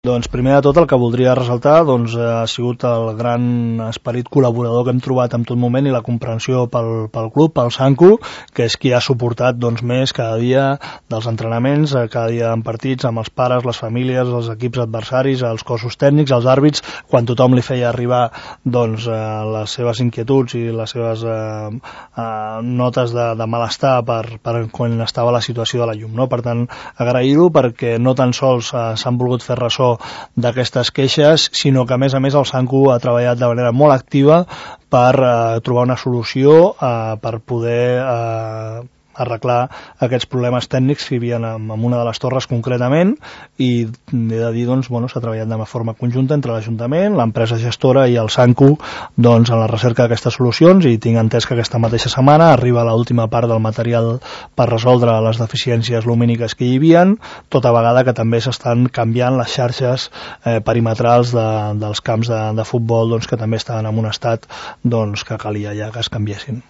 Doncs primer de tot el que voldria ressaltar ha sigut el gran esperit col·laborador que hem trobat en tot moment i la comprensió pel club, pel Sanku, que és qui ha suportat més cada dia dels entrenaments, cada dia en partits, amb els pares, les famílies, els equips adversaris, els cossos tècnics, els àrbits, quan tothom li feia arribar les seves inquietuds i les seves notes de malestar per quan estava la situació de la llum, no? Per tant, agrair-ho perquè no tan sols s'han volgut fer ressò d'aquestes queixes, sinó que a més el Sanku ha treballat de manera molt activa per trobar una solució per poder arreglar aquests problemes tècnics que hi havia en una de les torres concretament, i he de dir, s'ha treballat de forma conjunta entre l'Ajuntament, l'empresa gestora i el Sanku en la recerca d'aquestes solucions, i tinc entès que aquesta mateixa setmana arriba l'última part del material per resoldre les deficiències lumíniques que hi havia, tota vegada que també s'estan canviant les xarxes perimetrals dels camps de futbol que també estaven en un estat que calia ja que es canviessin.